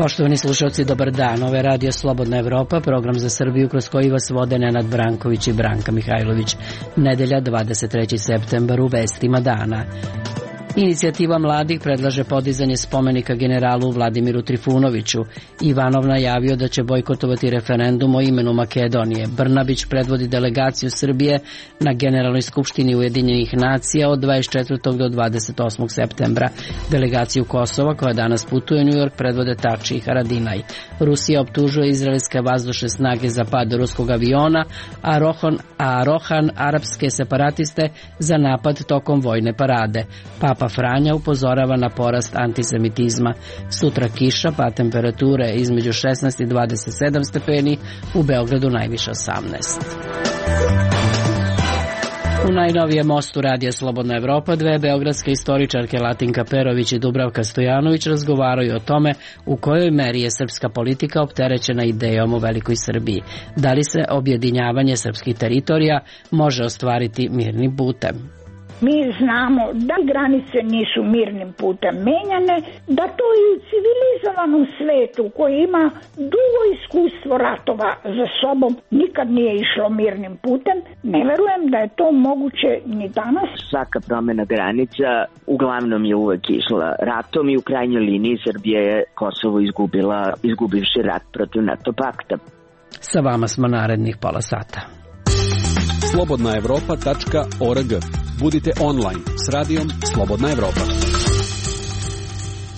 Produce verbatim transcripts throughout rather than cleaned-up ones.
Poštovani slušalci, dobar dan. Ovo je Radio Slobodna Evropa, program za Srbiju kroz koji vas vode Nenad Branković i Branka Mihajlović. Nedelja, dvadeset treći septembar, u vestima dana. Inicijativa mladih predlaže podizanje spomenika generalu Vladimiru Trifunoviću. Ivanov najavio da će bojkotovati referendum o imenu Makedonije. Brnabić predvodi delegaciju Srbije na Generalnoj skupštini Ujedinjenih nacija od dvadeset četvrtog do dvadeset osmog septembra. Delegaciju Kosova, koja danas putuje u Njujork, predvode Tači i Haradinaj. Rusija optužuje izraelske vazdušne snage za pad ruskog aviona, a Rohan, a Rohan arapske separatiste za napad tokom vojne parade. Papa Franja upozorava na porast antisemitizma. Sutra kiša, pa temperature između šesnaest i dvadeset sedam stepeni, u Beogradu najviše osamnaest. U najnovijem mostu Radija Slobodna Evropa dve beogradske istoričarke Latinka Perović i Dubravka Stojanović razgovaraju o tome u kojoj meri je srpska politika opterećena idejom o velikoj Srbiji. Da li se objedinjavanje srpskih teritorija može ostvariti mirnim putem? Mi znamo da granice nisu mirnim putem menjane, da to i u civilizovanom svetu koji ima dugo iskustvo ratova za sobom nikad nije išlo mirnim putem. Ne verujem da je to moguće ni danas. Svaka promjena granica uglavnom je uvek išla ratom i u krajnjoj liniji Srbija je Kosovo izgubila, izgubivši rat protiv NATO pakta. Sa vama smo narednih pola sata. slobodna evropa tačka org. Budite online s radijom Slobodna Evropa.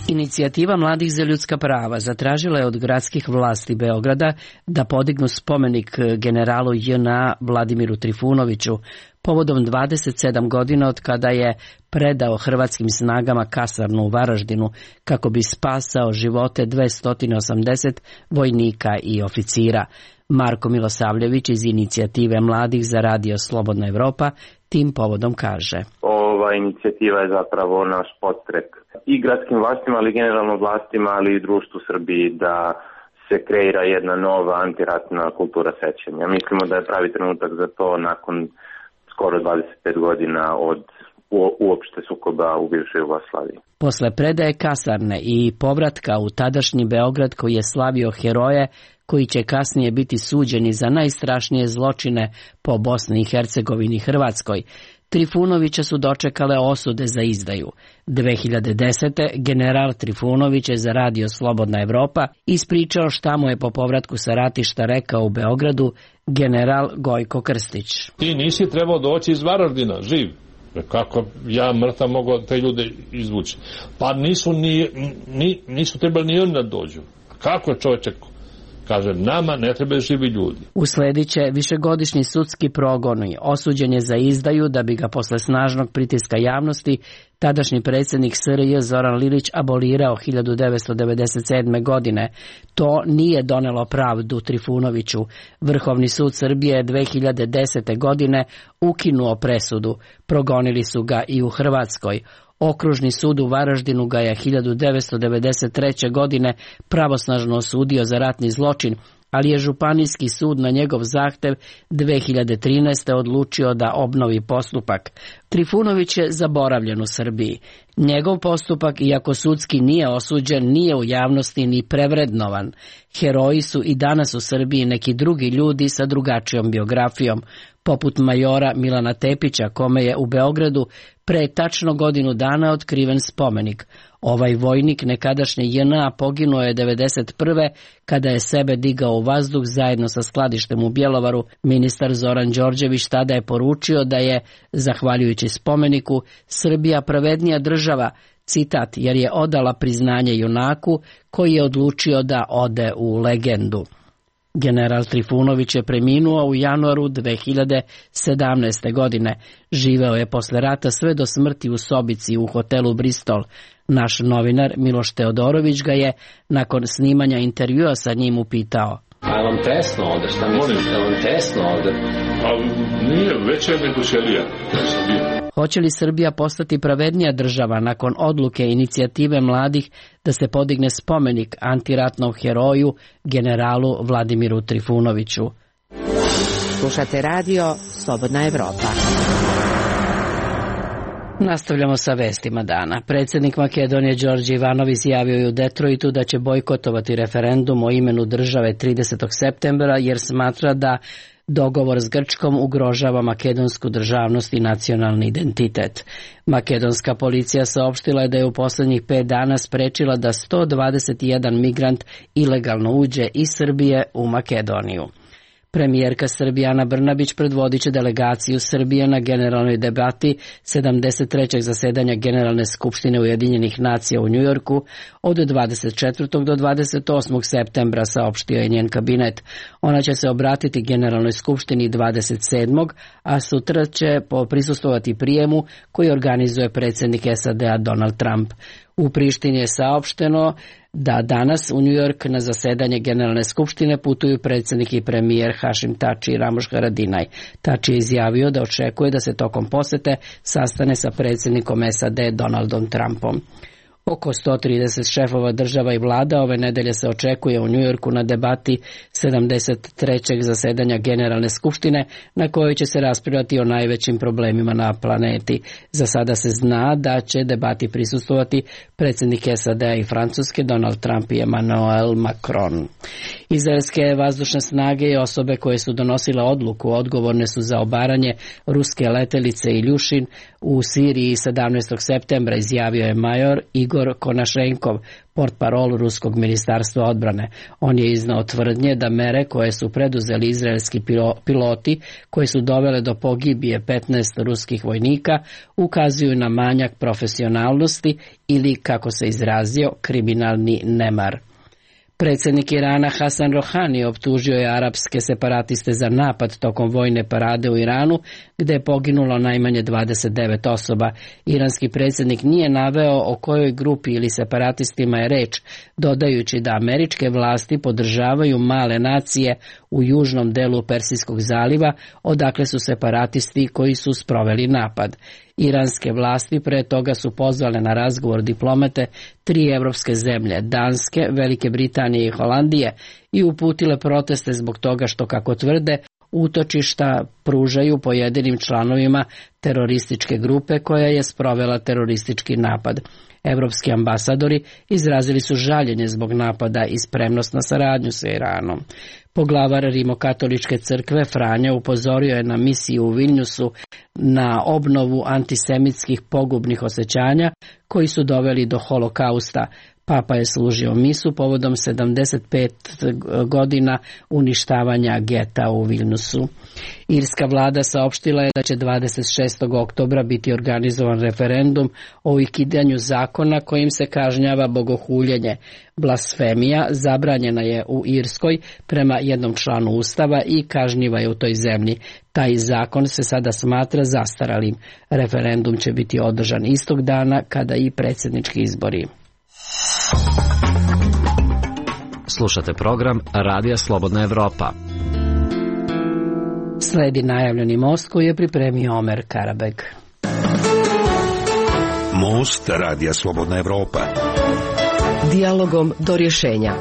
Inicijativa mladih za ljudska prava zatražila je od gradskih vlasti Beograda da podignu spomenik generalu J N A Vladimiru Trifunoviću povodom dvadeset sedam godina od kada je predao hrvatskim snagama kasarnu u Varaždinu kako bi spasao živote dvesta osamdeset vojnika i oficira. Marko Milosavljević iz Inicijative mladih za Radio Slobodna Evropa tim povodom kaže: Ova inicijativa je zapravo naš podstrek i gradskim vlastima, ali generalno vlastima, ali i društvu Srbiji da se kreira jedna nova antiratna kultura sećanja. Mislimo da je pravi trenutak za to nakon skoro dvadeset pet godina od uopšte sukoba u bivšoj Jugoslaviji. Posle predaje kasarne i povratka u tadašnji Beograd koji je slavio heroje koji će kasnije biti suđeni za najstrašnije zločine po Bosni i Hercegovini i Hrvatskoj, Trifunovića su dočekale osude za izdaju. dve hiljade desete. general Trifunović je za Radio Slobodna Evropa ispričao šta mu je po povratku sa ratišta rekao u Beogradu general Gojko Krstić. Ti nisi trebao doći iz Varaždina, živ. Kako ja mrtav mogu te ljude izvući? Pa nisu, ni, ni, nisu trebali ni oni da dođu. Kako je čovječek? Kaže, nama ne trebaju živi ljudi. Uslediće višegodišnji sudski progon, osuđen je za izdaju da bi ga posle snažnog pritiska javnosti tadašnji predsjednik S R J Zoran Lilić abolirao hiljadu devetsto devedeset sedme. godine. To nije donelo pravdu Trifunoviću. Vrhovni sud Srbije je dve hiljade desete. godine ukinuo presudu. Progonili su ga i u Hrvatskoj. Okružni sud u Varaždinu ga je hiljadu devetsto devedeset treće. godine pravosnažno osudio za ratni zločin, ali je županijski sud na njegov zahtev dve hiljade trinaeste. odlučio da obnovi postupak. Trifunović je zaboravljen u Srbiji. Njegov postupak, iako sudski nije osuđen, nije u javnosti ni prevrednovan. Heroji su i danas u Srbiji neki drugi ljudi sa drugačijom biografijom, poput majora Milana Tepića, kome je u Beogradu pre tačno godinu dana otkriven spomenik. Ovaj vojnik nekadašnje J N A poginuo je devedeset prve. kada je sebe digao u vazduh zajedno sa skladištem u Bjelovaru. Ministar Zoran Đorđević tada je poručio da je, zahvaljujući spomeniku, Srbija pravednija država, citat, jer je odala priznanje junaku koji je odlučio da ode u legendu. General Trifunović je preminuo u januaru dve hiljade sedamnaeste. godine. Živeo je posle rata sve do smrti u sobici u hotelu Bristol. Naš novinar Miloš Teodorović ga je nakon snimanja intervjua sa njim upitao: A je vam tesno ovde? Šta mislite? Je vam tesno ovde? A nije, veće nego ćelija. Hoće li Srbija postati pravednija država nakon odluke Inicijative mladih da se podigne spomenik antiratnom heroju generalu Vladimiru Trifunoviću? Slušate radio Slobodna Evropa. Nastavljamo sa vestima dana. Predsjednik Makedonije Đorđe Ivanov izjavio je u Detroitu da će bojkotovati referendum o imenu države tridesetog septembra jer smatra da dogovor s Grčkom ugrožava makedonsku državnost i nacionalni identitet. Makedonska policija saopštila je da je u posljednjih pet dana sprečila da sto dvadeset jedan migrant ilegalno uđe iz Srbije u Makedoniju. Premijerka Srbije Ana Brnabić predvodit će delegaciju Srbije na generalnoj debati sedamdeset trećeg zasedanja Generalne skupštine Ujedinjenih nacija u Njujorku od dvadeset četvrtog do dvadeset osmog septembra, saopštio je njen kabinet. Ona će se obratiti Generalnoj skupštini dvadeset sedmog a sutra će prisustvovati prijemu koji organizuje predsjednik S A D-a Donald Trump. U Prištini je saopšteno da danas u New York na zasedanje Generalne skupštine putuju predsjednik i premijer Hašim Tači i Ramoš Haradinaj. Tači je izjavio da očekuje da se tokom posete sastane sa predsjednikom S A D Donaldom Trumpom. Oko sto trideset šefova država i vlada ove nedelje se očekuje u Njujorku na debati sedamdeset trećeg zasedanja Generalne skupštine na kojoj će se raspravljati o najvećim problemima na planeti. Za sada se zna da će debati prisustvovati predsjednik S A D-a i Francuske Donald Trump i Emmanuel Macron. Izraelske vazdušne snage i osobe koje su donosile odluku odgovorne su za obaranje ruske letelice Iljušin u Siriji sedamnaestog septembra, izjavio je major Igor Konašenkov, portparol ruskog ministarstva odbrane. On je iznao tvrdnje da mere koje su preduzeli izraelski piloti, koje su dovele do pogibije petnaest ruskih vojnika, ukazuju na manjak profesionalnosti ili, kako se izrazio, kriminalni nemar. Predsjednik Irana Hasan Rohani optužio je arapske separatiste za napad tokom vojne parade u Iranu, gde je poginulo najmanje dvadeset devet osoba. Iranski predsjednik nije naveo o kojoj grupi ili separatistima je reč, dodajući da američke vlasti podržavaju male nacije u južnom delu Persijskog zaliva, odakle su separatisti koji su sproveli napad. Iranske vlasti pre toga su pozvale na razgovor diplomate tri evropske zemlje, Danske, Velike Britanije i Holandije, i uputile proteste zbog toga što, kako tvrde, utočišta pružaju pojedinim članovima terorističke grupe koja je sprovela teroristički napad. Evropski ambasadori izrazili su žaljenje zbog napada i spremnost na saradnju sa Iranom. Poglavar Rimokatoličke crkve Franja upozorio je na misiju u Vilnjusu na obnovu antisemitskih pogubnih osjećanja koji su doveli do holokausta. Papa je služio misu povodom sedamdeset pet godina uništavanja geta u Vilnusu. Irska vlada saopštila je da će dvadeset šestog oktobra biti organizovan referendum o ukidanju zakona kojim se kažnjava bogohuljenje. Blasfemija zabranjena je u Irskoj prema jednom članu Ustava i kažnjiva je u toj zemlji. Taj zakon se sada smatra zastaralim. Referendum će biti održan istog dana kada i predsjednički izbori. Slušate program Radija Slobodna Evropa. Sledi najavljeni most koji je pripremio Omer Karabek. Most Radija Slobodna Evropa. Dijalogom do rješenja.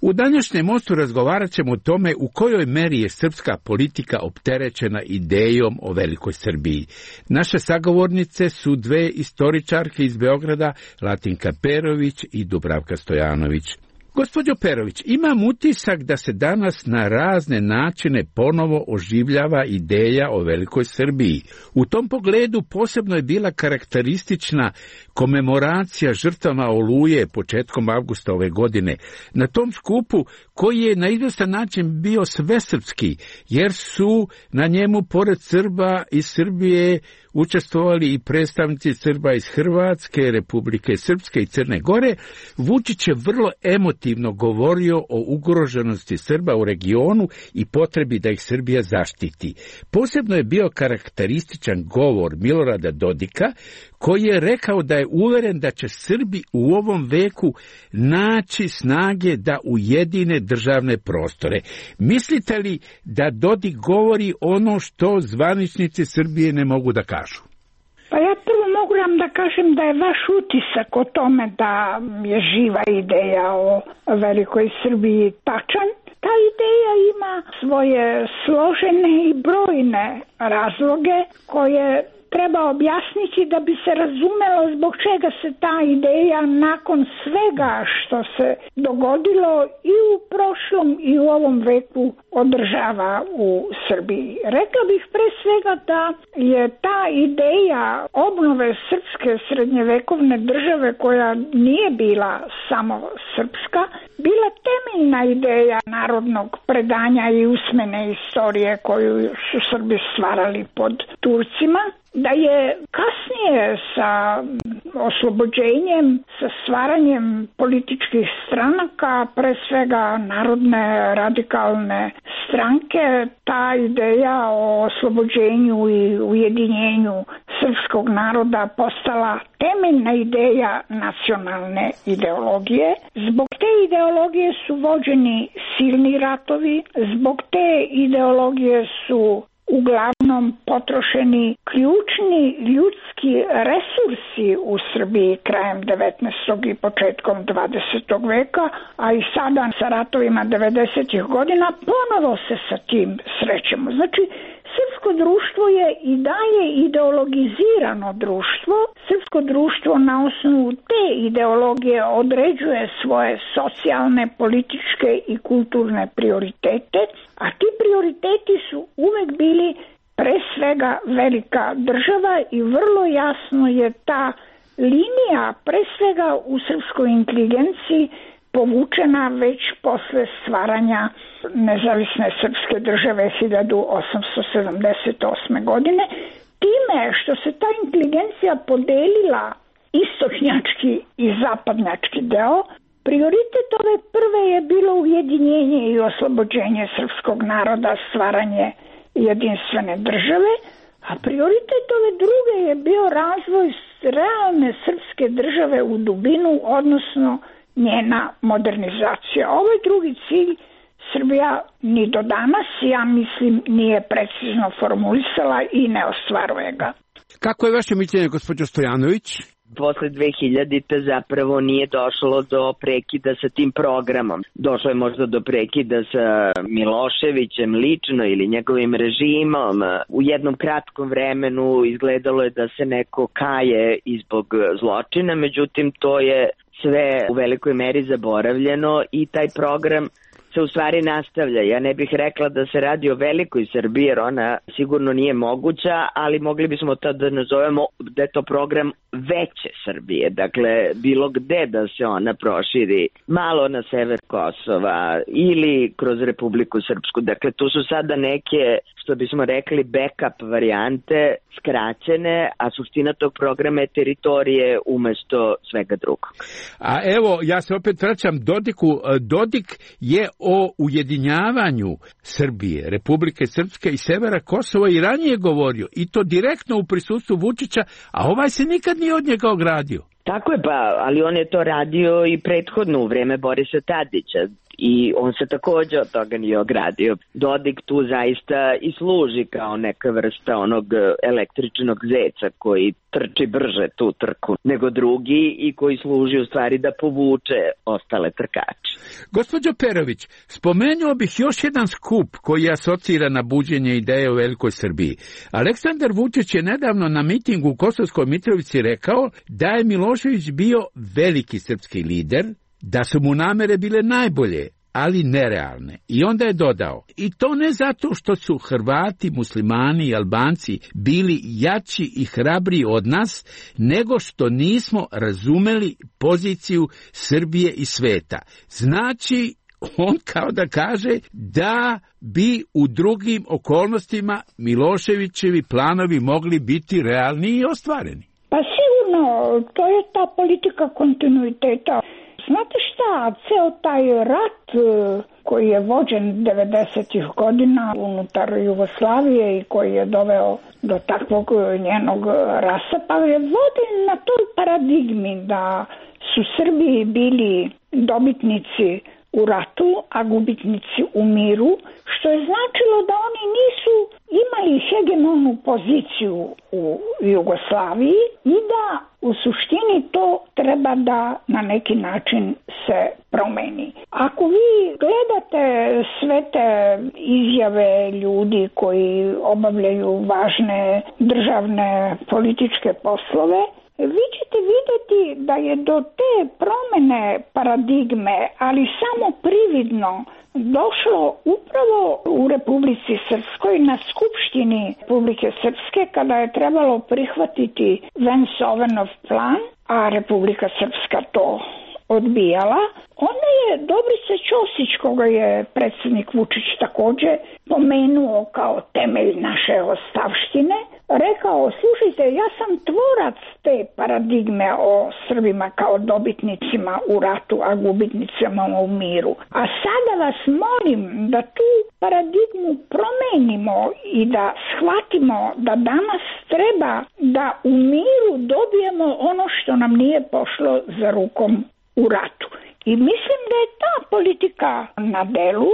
U današnjem mostu razgovarat ćemo o tome u kojoj meri je srpska politika opterećena idejom o velikoj Srbiji. Naše sagovornice su dve istoričarke iz Beograda, Latinka Perović i Dubravka Stojanović. Gospođo Perović, imam utisak da se danas na razne načine ponovo oživljava ideja o velikoj Srbiji. U tom pogledu posebno je bila karakteristična komemoracija žrtvama Oluje početkom avgusta ove godine. Na tom skupu, koji je na izvestan način bio svesrpski, jer su na njemu pored Srba iz Srbije učestvovali i predstavnici Srba iz Hrvatske, Republike Srpske i Crne Gore, Vučić je vrlo emotivno govorio o ugroženosti Srba u regionu i potrebi da ih Srbija zaštiti. Posebno je bio karakterističan govor Milorada Dodika, koji je rekao da je uveren da će Srbi u ovom veku naći snage da ujedine državne prostore. Mislite li da Dodik govori ono što zvaničnici Srbije ne mogu da kažu? Pa ja prvo mogu vam da kažem da je vaš utisak o tome da je živa ideja o velikoj Srbiji tačan. Ta ideja ima svoje složene i brojne razloge koje treba objasniti da bi se razumelo zbog čega se ta ideja nakon svega što se dogodilo i u prošlom i u ovom veku održava u Srbiji. Rekla bih pre svega da je ta ideja obnove srpske srednjevekovne države, koja nije bila samo srpska, bila temeljna ideja narodnog predanja i usmene istorije koju su Srbi stvarali pod Turcima, da je kasnije sa oslobođenjem, sa stvaranjem političkih stranaka, pre svega narodne radikalne stranke, ta ideja o oslobođenju i ujedinjenju srpskog naroda postala temeljna ideja nacionalne ideologije. Zbog te ideologije su vođeni silni ratovi, zbog te ideologije su uglavnom potrošeni ključni ljudski resursi u Srbiji krajem devetnaestog i početkom dvadesetog veka, a i sada sa ratovima devedesetih godina ponovo se sa tim srećemo. Znači, srpsko društvo je i dalje ideologizirano društvo. Srpsko društvo na osnovu te ideologije određuje svoje socijalne, političke i kulturne prioritete, a ti prioriteti su uvek bili pre svega velika država i vrlo jasno je ta linija pre svega u srpskoj inteligenciji povučena već posle stvaranja nezavisne srpske države hiljadu osamsto sedamdeset osme. godine, time što se ta inteligencija podelila istočnjački i zapadnjački deo. Prioritet ove prve je bilo ujedinjenje i oslobođenje srpskog naroda, stvaranje jedinstvene države, a prioritet ove druge je bio razvoj realne srpske države u dubinu, odnosno njena modernizacija. Ovaj drugi cilj Srbija ni do danas, ja mislim, nije precizno formulisala i ne ostvaruje ga. Kako je vaše mišljenje, gospođo Stojanović? Posle dve hiljadite zapravo nije došlo do prekida sa tim programom. Došlo je možda do prekida sa Miloševićem lično ili njegovim režimom. U jednom kratkom vremenu izgledalo je da se neko kaje i zbog zločina, međutim to je sve u velikoj meri zaboravljeno i taj program se u stvari nastavlja. Ja ne bih rekla da se radi o velikoj Srbiji, jer ona sigurno nije moguća, ali mogli bismo to da nazovemo da je to program veće Srbije. Dakle, bilo gde da se ona proširi, malo na sever Kosova ili kroz Republiku Srpsku. Dakle, tu su sada neke, što bismo rekli, backup varijante skraćene, a suština tog programa je teritorije umesto svega drugog. A evo, ja se opet vraćam Dodiku. Dodik je o ujedinjavanju Srbije, Republike Srpske i severa Kosova i ranije govorio, i to direktno u prisustvu Vučića, a ovaj se nikad nije od njega ogradio. Tako je, pa, ali on je to radio i prethodno u vreme Borisa Tadića i on se također od toga nije ogradio. Dodik tu zaista i služi kao neka vrsta onog električnog zeca koji trči brže tu trku nego drugi i koji služi u stvari da povuče ostale trkače. Gospođo Perović, spomenuo bih još jedan skup koji je asocira na buđenje ideje o velikoj Srbiji. Aleksandar Vučić je nedavno na mitingu u Kosovskoj Mitrovici rekao da je Milošević bio veliki srpski lider, da su mu namere bile najbolje, ali nerealne. I onda je dodao, i to ne zato što su Hrvati, Muslimani i Albanci bili jači i hrabriji od nas, nego što nismo razumeli poziciju Srbije i sveta. Znači, on kao da kaže da bi u drugim okolnostima Miloševićevi planovi mogli biti realni i ostvareni. Pa sigurno, to je ta politika kontinuiteta. Znate šta, ceo taj rat koji je vođen devedesetih godina unutar Jugoslavije i koji je doveo do takvog njenog rasapa je vođen na toj paradigmi da su Srbiji bili dobitnici u ratu, a gubitnici u miru, što je značilo da oni nisu imali hegemonu poziciju u Jugoslaviji i da u suštini to treba da na neki način se promeni. promeni. Ako vi gledate sve te izjave ljudi koji obavljaju važne državne političke poslove, vi ćete vidjeti da je do te promjene paradigme, ali samo prividno, došlo upravo u Republici Srpskoj na Skupštini Republike Srpske kada je trebalo prihvatiti Vance-Ovenov plan, a Republika Srpska to odbijala. Onda je Dobrica Ćosić, koga je predsjednik Vučić također pomenuo kao temelj naše ostavštine, rekao, slušajte, ja sam tvorac te paradigme o Srbima kao dobitnicima u ratu, a gubitnicima u miru. A sada vas molim da tu paradigmu promenimo i da shvatimo da danas treba da u miru dobijemo ono što nam nije pošlo za rukom u ratu. I mislim da je ta politika na delu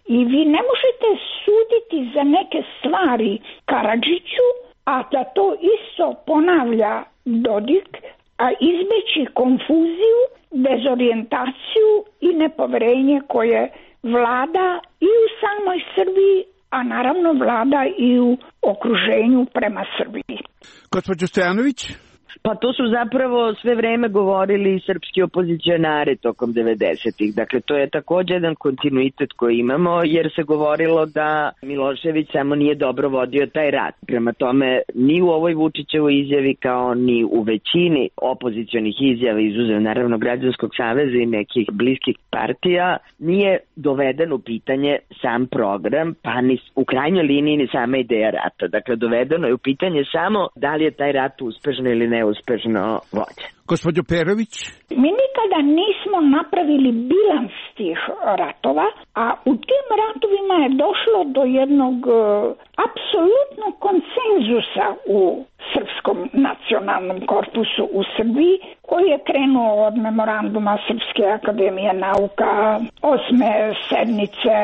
i vi ne možete suditi za neke stvari Karadžiću, a da to isto ponavlja Dodik, a izbeći konfuziju, dezorijentaciju i nepoverenje koje vlada i u samoj Srbiji, a naravno vlada i u okruženju prema Srbiji. Gospođo Stojanović? Pa to su zapravo sve vreme govorili srpski opozicionari tokom devedesetih. Dakle, to je također jedan kontinuitet koji imamo, jer se govorilo da Milošević samo nije dobro vodio taj rat. Prema tome, ni u ovoj Vučićevoj izjavi kao ni u većini opozicionih izjava, izuzev naravno Građanskog saveza i nekih bliskih partija, nije doveden u pitanje sam program, pa ni u krajnjoj liniji ni sama ideja rata. Dakle, dovedeno je u pitanje samo da li je taj rat uspešno ili ne uspešno vođen. Gospođo Perović? Mi nikada nismo napravili bilans tih ratova, a u tim ratovima je došlo do jednog uh, apsolutnog konsenzusa u srpskom nacionalnom korpusu u Srbiji, koji je krenuo od memoranduma Srpske akademije nauka, osme sednice,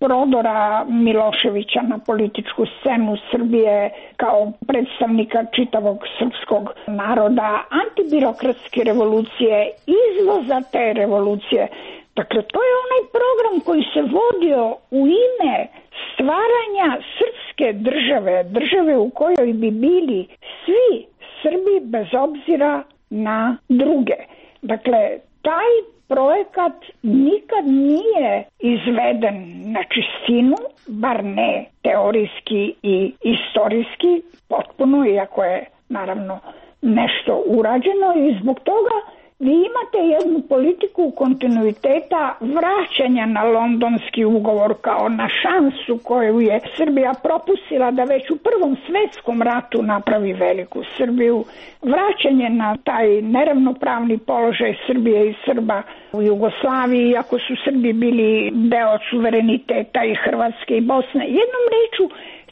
prodora Miloševića na političku scenu Srbije kao predstavnika čitavog srpskog naroda, antibirokratske revolucije, izvoza te revolucije. Dakle, to je onaj program koji se vodio u ime stvaranja srpske države, države u kojoj bi bili svi Srbi bez obzira na druge. Dakle, taj projekat nikad nije izveden na čistinu, bar ne teorijski i istorijski, potpuno, iako je naravno nešto urađeno, i zbog toga vi imate jednu politiku kontinuiteta vraćanja na londonski ugovor kao na šansu koju je Srbija propustila da već u Prvom svjetskom ratu napravi veliku Srbiju, vraćanje na taj neravnopravni položaj Srbije i Srba u Jugoslaviji, iako su Srbi bili deo suvereniteta i Hrvatske i Bosne. Jednom rečju,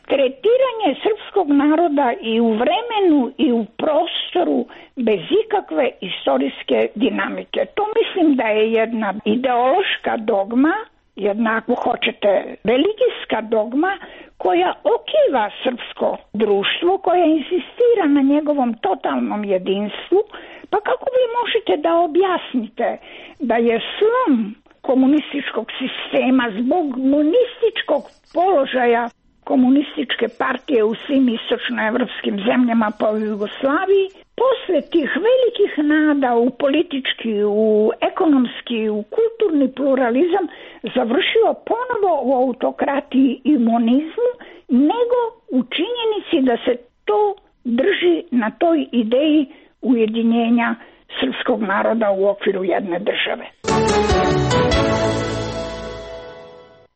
tretiranje srpskog naroda i u vremenu i u prostoru bez ikakve istorijske dinamike. To mislim da je jedna ideološka dogma, jedna, ako hoćete, religijska dogma koja okiva srpsko društvo, koja insistira na njegovom totalnom jedinstvu. Pa kako vi možete da objasnite da je slom komunističkog sistema zbog monističkog položaja komunističke partije u svim istočnoevropskim zemljama po Jugoslaviji, posle tih velikih nada u politički, u ekonomski, u kulturni pluralizam, završio ponovo u autokratiji i monizmu, nego u činjenici da se to drži na toj ideji ujedinjenja srpskog naroda u okviru jedne države.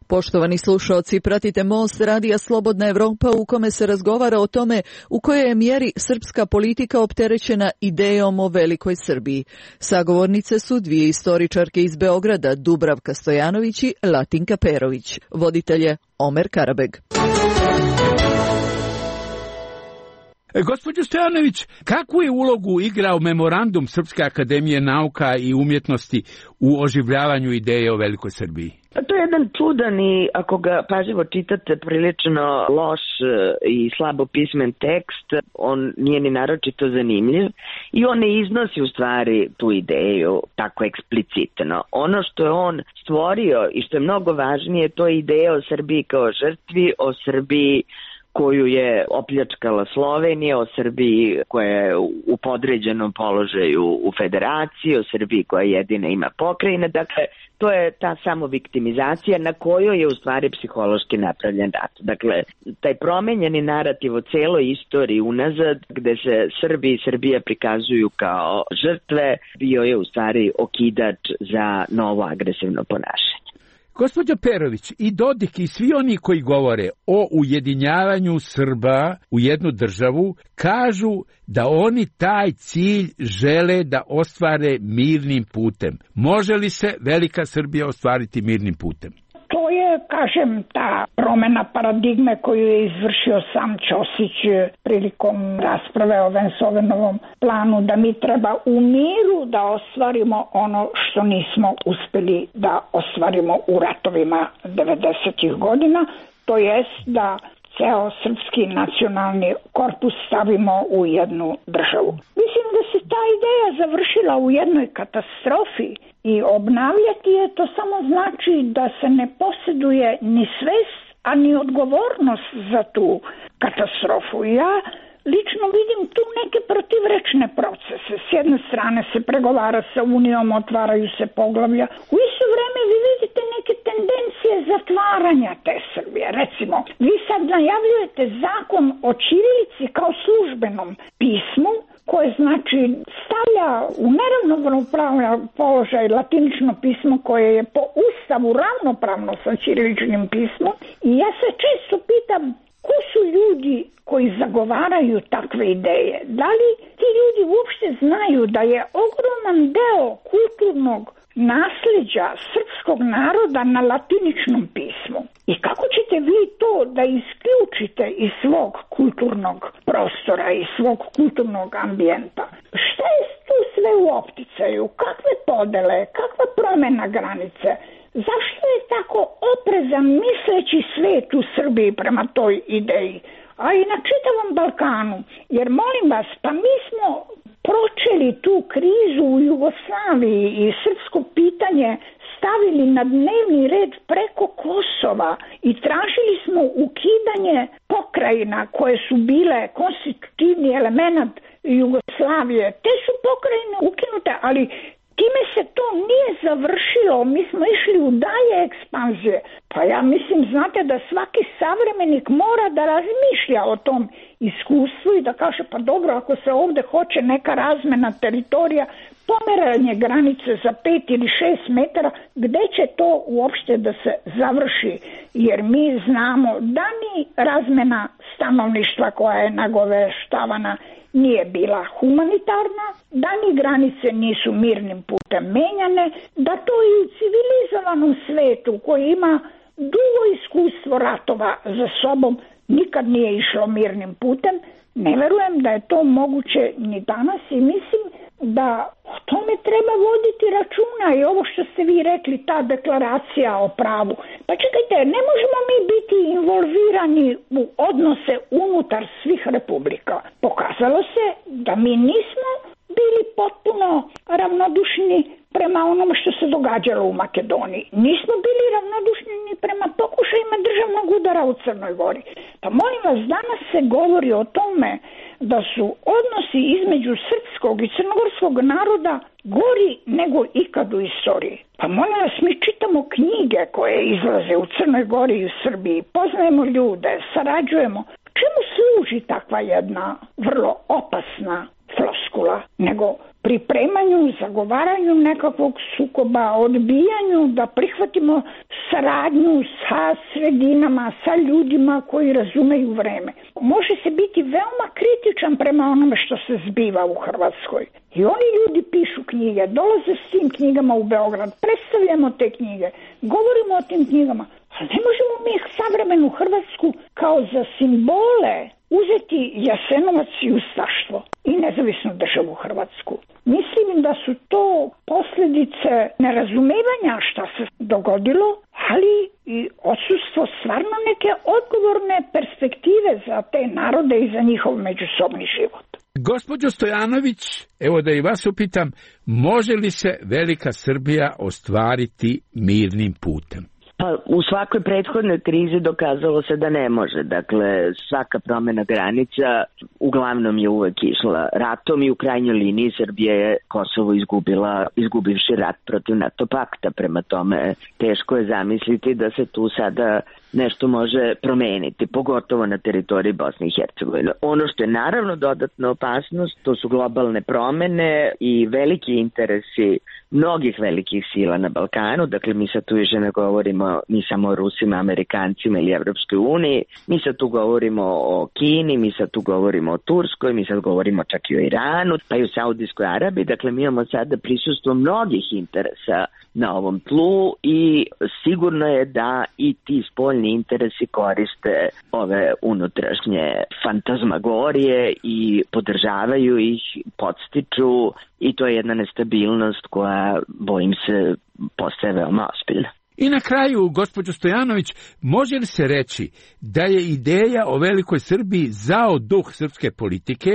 Poštovani slušaoci, pratite Most radija Slobodna Evropa u kome se razgovara o tome u kojoj je mjeri srpska politika opterećena idejom o velikoj Srbiji. Sagovornice su dvije istoričarke iz Beograda, Dubravka Stojanović i Latinka Perović. Voditelj je Omer Karabeg. E, gospođo Stojanović, kakvu je ulogu igrao memorandum Srpske akademije nauka i umjetnosti u oživljavanju ideje o Velikoj Srbiji? To je jedan čudan i, ako ga pažljivo čitate, prilično loš i slabo pismen tekst. On nije ni naročito zanimljiv i on ne iznosi u stvari tu ideju tako eksplicitno. Ono što je on stvorio i što je mnogo važnije, to je ideja o Srbiji kao žrtvi, o Srbiji koju je opljačkala Slovenija, o Srbiji koja je u podređenom položaju u federaciji, o Srbiji koja jedina ima pokrajine. Dakle, to je ta samoviktimizacija na kojoj je u stvari psihološki napravljen rat. Dakle, taj promenjeni narativ o celoj istoriji unazad, gde se Srbi i Srbija prikazuju kao žrtve, bio je u stvari okidač za novo agresivno ponašanje. Gospođo Perović, i Dodik i svi oni koji govore o ujedinjavanju Srba u jednu državu, kažu da oni taj cilj žele da ostvare mirnim putem. Može li se Velika Srbija ostvariti mirnim putem? To je, kažem, ta promena paradigme koju je izvršio sam Ćosić prilikom rasprave o Vensovenovom planu, da mi treba u miru da ostvarimo ono što nismo uspeli da ostvarimo u ratovima devedesetih godina, to jest da ceo srpski nacionalni korpus stavimo u jednu državu. Mislim da se ta ideja završila u jednoj katastrofi i obnavljati je to samo znači da se ne posjeduje ni svest, a ni odgovornost za tu katastrofu. Ja lično vidim tu neke protivrečne procese. S jedne strane se pregovara sa Unijom, otvaraju se poglavlja. U isto vreme vi vidite neke tendencije zatvaranja te Srbije. Recimo, vi sad najavljujete zakon o ćirilici kao službenom pismu, koje znači stavlja u neravnopravan položaj latinično pismo koje je po Ustavu ravnopravno sa ćiriličnim pismom. I ja se često pitam ko su ljudi koji zagovaraju takve ideje. Da li ti ljudi uopšte znaju da je ogroman deo kulturnog nasljeđa srpskog naroda na latiničnom pismu? I kako ćete vi to da isključite iz svog kulturnog prostora, iz svog kulturnog ambijenta? Šta je tu sve u opticaju? Kakve podele? Kakva promjena granice? Zašto je tako oprezan misleći svet u Srbiji prema toj ideji? A i na čitavom Balkanu. Jer molim vas, pa mi smo pročeli tu krizu u Jugoslaviji i srpsko pitanje stavili na dnevni red preko Kosova i tražili smo ukidanje pokrajina koje su bile konstitutivni element Jugoslavije. Te su pokrajine ukinute, ali time se to nije završilo, mi smo išli u dalje ekspanzije. Pa ja mislim, znate, da svaki savremenik mora da razmišlja o tom iskustvu i da kaže, pa dobro, ako se ovdje hoće neka razmena teritorija, pomeranje granice za pet ili šest metara, gde će to uopšte da se završi? Jer mi znamo da ni razmena stanovništva koja je nagoveštavana nije bila humanitarna, da ni granice nisu mirnim putem menjane, da to i u civilizovanom svetu koji ima dugo iskustvo ratova za sobom nikad nije išlo mirnim putem. Ne verujem da je to moguće ni danas i mislim da o tome treba voditi računa i ovo što ste vi rekli, ta deklaracija o pravu. Pa čekajte, ne možemo mi biti involvirani u odnose unutar svih republika. Pokazalo se da mi nismo bili potpuno ravnodušni prema onom što se događalo u Makedoniji. Nismo bili ravnodušni ni prema pokušajima državnog udara u Crnoj Gori. Pa molim vas, danas se govori o tome da su odnosi između srpskog i crnogorskog naroda gori nego ikad u istoriji. Pa molim vas, mi čitamo knjige koje izlaze u Crnoj Gori i u Srbiji, poznajemo ljude, sarađujemo. Čemu služi takva jedna vrlo opasna floskula, nego pripremanju, zagovaranju nekakvog sukoba, odbijanju da prihvatimo saradnju sa sredinama, sa ljudima koji razumeju vreme. Može se biti veoma kritičan prema onome što se zbiva u Hrvatskoj. I oni ljudi pišu knjige, dolaze s tim knjigama u Beograd, predstavljamo te knjige, govorimo o tim knjigama, ali ne možemo mi savremenu Hrvatsku kao za simbole uzeti Jasenovac i ustaštvo i nezavisnu državu Hrvatsku. Mislim da su to posljedice nerazumevanja šta se dogodilo, ali i odsustvo stvarno neke odgovorne perspektive za te narode i za njihov međusobni život. Gospođo Stojanović, evo da i vas upitam, može li se Velika Srbija ostvariti mirnim putem? Pa u svakoj prethodnoj krizi dokazalo se da ne može. Dakle, svaka promjena granica uglavnom je uvek išla ratom i u krajnjoj liniji Srbija je Kosovo izgubila, izgubivši rat protiv NATO pakta. Prema tome, teško je zamisliti da se tu sada nešto može promeniti, pogotovo na teritoriji Bosne i Hercegovine. Ono što je naravno dodatna opasnost, to su globalne promene i veliki interesi mnogih velikih sila na Balkanu. Dakle, mi sad tu više ne govorimo ni samo o Rusima, Amerikancima ili Evropskoj uniji, mi sad tu govorimo o Kini, mi sad tu govorimo o Turskoj, mi sad govorimo čak i o Iranu, pa i o Saudijskoj Arabiji. Dakle, mi imamo sada prisustvo mnogih interesa na ovom tlu i sigurno je da i ti spoljni interesi koriste ove unutrašnje fantazmagorije i podržavaju ih, podstiču i to je jedna nestabilnost koja, bojim se, postaje veoma ozbiljna. I na kraju, gospođo Stojanović, može li se reći da je ideja o Velikoj Srbiji zao duh srpske politike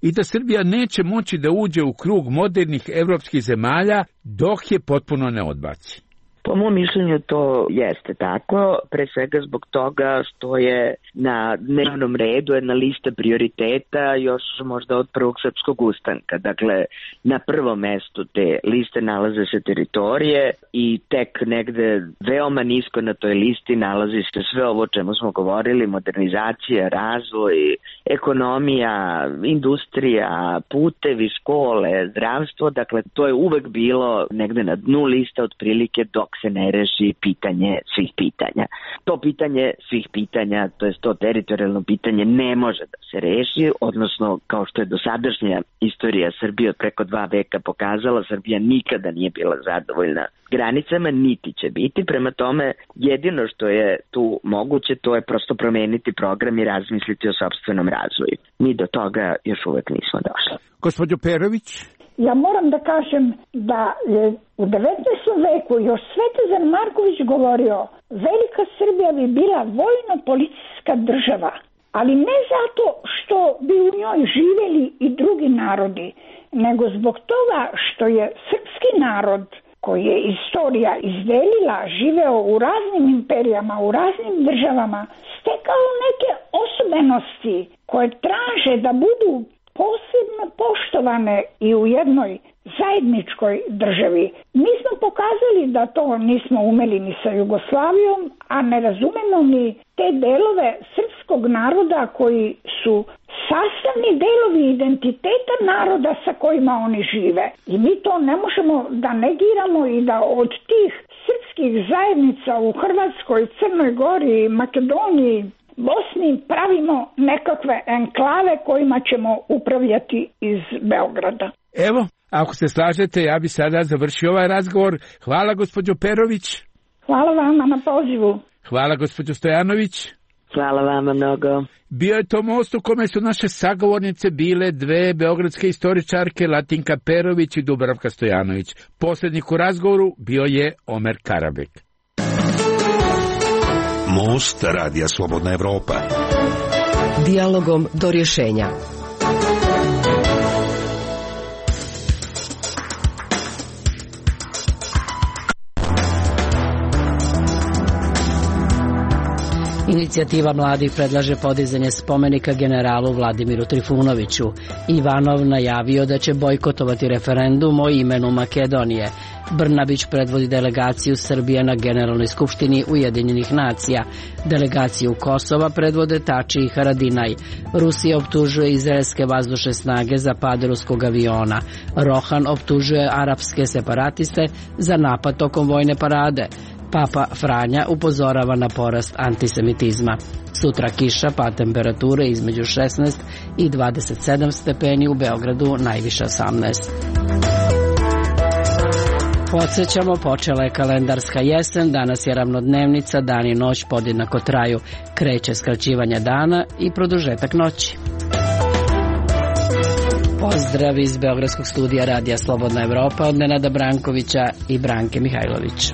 i da Srbija neće moći da uđe u krug modernih evropskih zemalja dok je potpuno ne odbaci? Po mom mišljenju to jeste tako, pre svega zbog toga što je na dnevnom redu jedna lista prioriteta još možda od prvog srpskog ustanka. Dakle, na prvom mestu te liste nalaze se teritorije i tek negde veoma nisko na toj listi nalazi se sve ovo o čemu smo govorili, modernizacija, razvoj, ekonomija, industrija, putevi, škole, zdravstvo. Dakle, to je uvek bilo negde na dnu lista otprilike dok se ne reši pitanje svih pitanja. To pitanje svih pitanja, to je to teritorijalno pitanje, ne može da se reši, odnosno kao što je dosadašnja istorija Srbije od preko dva veka pokazala, Srbija nikada nije bila zadovoljna granicama, niti će biti. Prema tome, jedino što je tu moguće, to je prosto promeniti program i razmisliti o sopstvenom razvoju. Mi do toga još uvek nismo došli. Gospođo Perović? Ja moram da kažem da je u devetnaestom veku još Svetozar Marković govorio Velika Srbija bi bila vojno-policijska država, ali ne zato što bi u njoj živjeli i drugi narodi, nego zbog toga što je srpski narod koji je istorija izdelila, živeo u raznim imperijama, u raznim državama, stekao neke osobenosti koje traže da budu posebno poštovane i u jednoj zajedničkoj državi. Mi smo pokazali da to nismo umeli ni sa Jugoslavijom, a ne razumemo ni te delove srpskog naroda koji su sastavni delovi identiteta naroda sa kojima oni žive. I mi to ne možemo da negiramo i da od tih srpskih zajednica u Hrvatskoj, Crnoj Gori, Makedoniji, Bosni pravimo nekakve enklave kojima ćemo upravljati iz Beograda. Evo, ako se slažete, ja bi sada završio ovaj razgovor. Hvala, gospođo Perović. Hvala vama na pozivu. Hvala, gospođo Stojanović. Hvala vama mnogo. Bio je to most u kome su naše sagovornice bile dve beogradske istoričarke, Latinka Perović i Dubravka Stojanović. Poslednik u razgovoru bio je Omer Karabek. Most Radija Slobodna Evropa. Dijalogom do rješenja. Inicijativa mladih predlaže podizanje spomenika generalu Vladimiru Trifunoviću. Ivanov najavio da će bojkotovati referendum o imenu Makedonije. Brnabić predvodi delegaciju Srbije na Generalnoj skupštini Ujedinjenih nacija. Delegaciju Kosova predvode Tači i Haradinaj. Rusija optužuje izraelske vazdušne snage za pad ruskog aviona. Rohan optužuje arapske separatiste za napad tokom vojne parade. Papa Franja upozorava na porast antisemitizma. Sutra kiša, pa temperature između šesnaest i dvadeset sedam stepeni, u Beogradu najviše osamnaest. Podsjećamo, počela je kalendarska jesen, danas je ravnodnevnica, dan i noć podjednako traju, kreće skraćivanje dana i produžetak noći. Pozdrav iz Beogradskog studija Radija Slobodna Evropa od Nenada Brankovića i Branke Mihajlović.